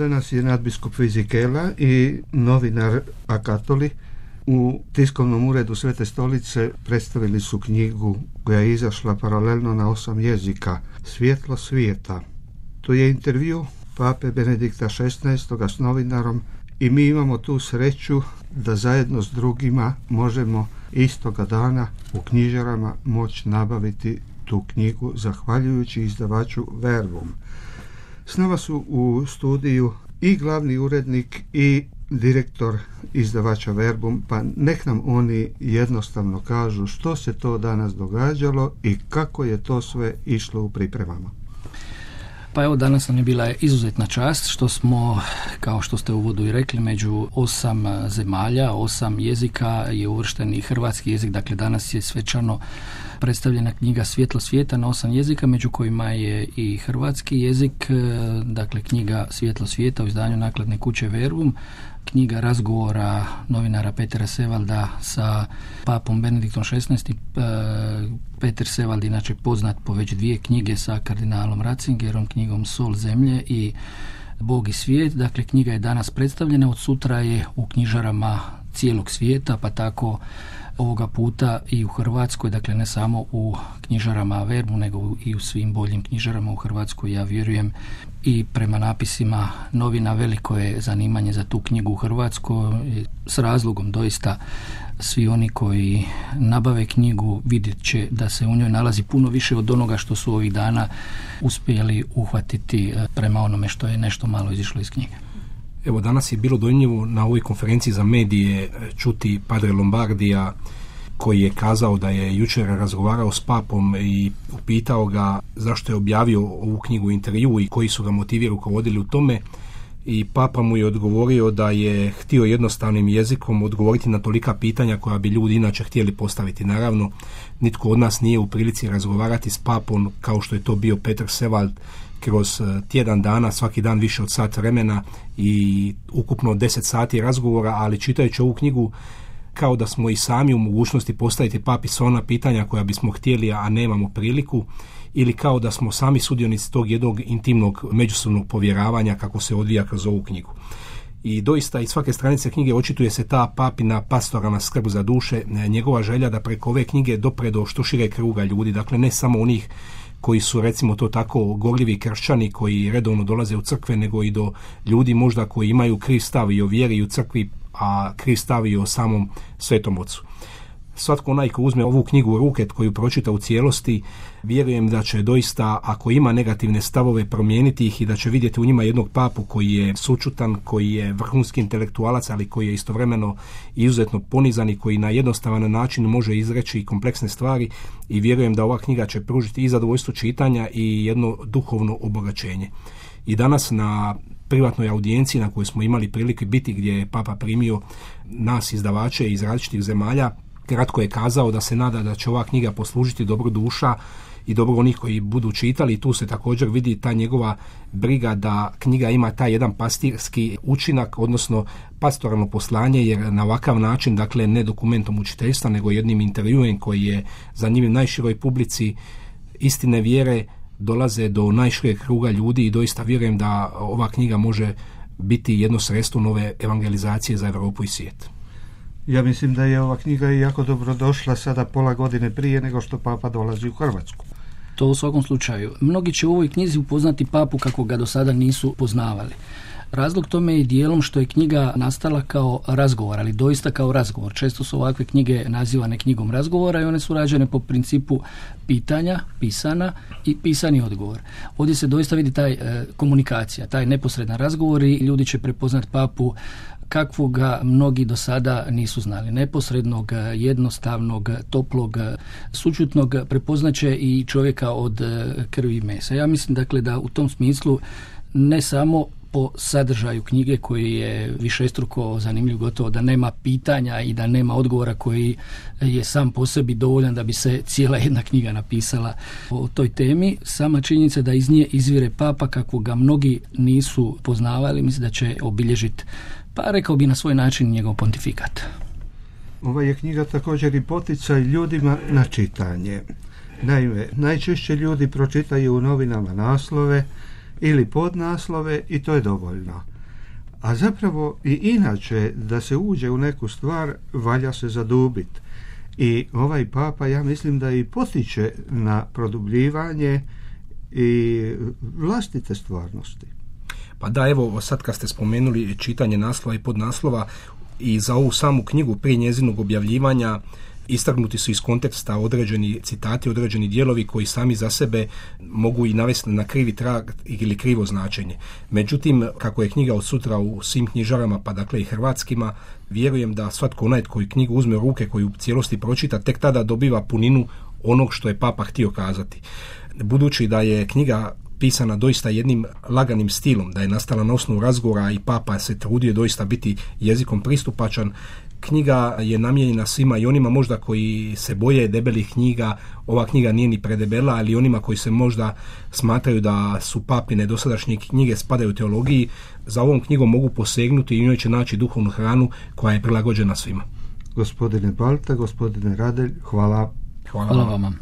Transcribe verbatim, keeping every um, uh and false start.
Danas je nadbiskup Fizikela i novinar Akatoli u tiskovnom uredu Svete stolice predstavili su knjigu koja je izašla paralelno na osam jezika, Svjetlo svijeta. To je intervju pape Benedikta šesnaestog s novinarom i mi imamo tu sreću da zajedno s drugima možemo istoga dana u knjižarama moći nabaviti tu knjigu zahvaljujući izdavaču Verbum. S nama su u studiju i glavni urednik i direktor izdavača Verbum, pa nek nam oni jednostavno kažu što se to danas događalo i kako je to sve išlo u pripremama. Pa evo, danas nam je bila izuzetna čast što smo, kao što ste u uvodu i rekli, među osam zemalja, osam jezika je uvršten i hrvatski jezik, dakle danas je svečano predstavljena knjiga Svjetlo svijeta na osam jezika, među kojima je i hrvatski jezik, dakle knjiga Svjetlo svijeta u izdanju nakladne kuće Verbum, knjiga razgovora novinara Petera Sevalda sa papom Benediktom šesnaestim. Peter Sevald, inače poznat po već dvije knjige sa kardinalom Ratzingerom, knjigom Sol zemlje i Bog i svijet. Dakle, knjiga je danas predstavljena, od sutra je u knjižarama cijelog svijeta, pa tako ovoga puta i u Hrvatskoj, dakle ne samo u knjižarama Verbu, nego i u svim boljim knjižarama u Hrvatskoj. Ja vjerujem i prema napisima novina veliko je zanimanje za tu knjigu u Hrvatskoj. S razlogom doista svi oni koji nabave knjigu vidjet će da se u njoj nalazi puno više od onoga što su ovih dana uspjeli uhvatiti prema onome što je nešto malo izišlo iz knjige. Evo, danas je bilo dojmljivo na ovoj konferenciji za medije čuti padre Lombardija, koji je kazao da je jučer razgovarao s papom i upitao ga zašto je objavio ovu knjigu u intervju i koji su ga motivi rukovodili u tome. I papa mu je odgovorio da je htio jednostavnim jezikom odgovoriti na tolika pitanja koja bi ljudi inače htjeli postaviti. Naravno, nitko od nas nije u prilici razgovarati s papom kao što je to bio Peter Sevald kroz tjedan dana, svaki dan više od sat vremena i ukupno deset sati razgovora, ali čitajući ovu knjigu kao da smo i sami u mogućnosti postaviti papi sva ona pitanja koja bismo htjeli, a nemamo priliku, ili kao da smo sami sudionici tog jednog intimnog međusobnog povjeravanja kako se odvija kroz ovu knjigu. I doista iz svake stranice knjige očituje se ta papina pastoralna skrb za duše, njegova želja da preko ove knjige dopre do što šire kruga ljudi, dakle ne samo onih koji su, recimo to tako, gorljivi kršćani koji redovno dolaze u crkve, nego i do ljudi možda koji imaju kriv stav i o vjeri i u crkvi, a kriv stav i o samom Svetom Ocu. Svatko onaj ko uzme ovu knjigu u ruke, koju pročita u cijelosti, vjerujem da će doista, ako ima negativne stavove, promijeniti ih i da će vidjeti u njima jednog papu koji je sućutan, koji je vrhunski intelektualac, ali koji je istovremeno izuzetno ponizan i koji na jednostavan način može izreći kompleksne stvari, i vjerujem da ova knjiga će pružiti i zadovoljstvo čitanja i jedno duhovno obogaćenje. I danas na privatnoj audijenciji na kojoj smo imali prilike biti, gdje je papa primio nas izdavače iz različitih zemalja, kratko je kazao da se nada da će ova knjiga poslužiti dobro duša i dobro onih koji budu čitali. I tu se također vidi ta njegova briga da knjiga ima taj jedan pastirski učinak, odnosno pastoralno poslanje, jer na ovakav način, dakle ne dokumentom učiteljstva, nego jednim intervjuem koji je zanimljiv najširoj publici istine vjere, dolaze do najšireg kruga ljudi i doista vjerujem da ova knjiga može biti jedno sredstvo nove evangelizacije za Europu i svijet. Ja mislim da je ova knjiga jako dobro došla sada pola godine prije nego što papa dolazi u Hrvatsku. To u svakom slučaju. Mnogi će u ovoj knjizi upoznati papu kako ga do sada nisu poznavali. Razlog tome je dijelom što je knjiga nastala kao razgovor, ali doista kao razgovor. Često su ovakve knjige nazivane knjigom razgovora i one su rađene po principu pitanja, pisana i pisani odgovor. Ovdje se doista vidi taj e, komunikacija, taj neposredan razgovor i ljudi će prepoznat papu kakvog mnogi do sada nisu znali. Neposrednog, jednostavnog, toplog, sućutnog, prepoznaće i čovjeka od krvi i mesa. Ja mislim dakle da u tom smislu ne samo po sadržaju knjige koji je višestruko zanimljiv, gotovo da nema pitanja i da nema odgovora koji je sam po sebi dovoljan da bi se cijela jedna knjiga napisala o toj temi. Sama činjenica da iz nje izvire papa kako ga mnogi nisu poznavali, mislim da će obilježiti, pa rekao bi na svoj način, njegov pontifikat. Ova je knjiga također i poticaj ljudima na čitanje. Naime, najčešće ljudi pročitaju u novinama naslove ili podnaslove i to je dovoljno. A zapravo i inače da se uđe u neku stvar valja se zadubiti. I ovaj papa, ja mislim da i potiče na produbljivanje i vlastite stvarnosti. Pa da, evo sad kad ste spomenuli čitanje naslova i podnaslova, i za ovu samu knjigu prije njezinog objavljivanja istaknuti su iz konteksta određeni citati, određeni dijelovi koji sami za sebe mogu i navesti na krivi trag ili krivo značenje. Međutim, kako je knjiga od sutra u svim knjižarama, pa dakle i hrvatskima, vjerujem da svatko onaj koji knjigu uzme u ruke, koji u cijelosti pročita, tek tada dobiva puninu onog što je papa htio kazati. Budući da je knjiga pisana doista jednim laganim stilom, da je nastala na osnovu razgovora i papa se trudio doista biti jezikom pristupačan, knjiga je namijenjena svima, i onima možda koji se boje debelih knjiga. Ova knjiga nije ni predebela, ali onima koji se možda smatraju da su papine dosadašnje knjige spadaju u teologiji, za ovom knjigom mogu posegnuti i u njoj će naći duhovnu hranu koja je prilagođena svima. Gospodine Balta, gospodine Radelj, hvala. Hvala, hvala vama.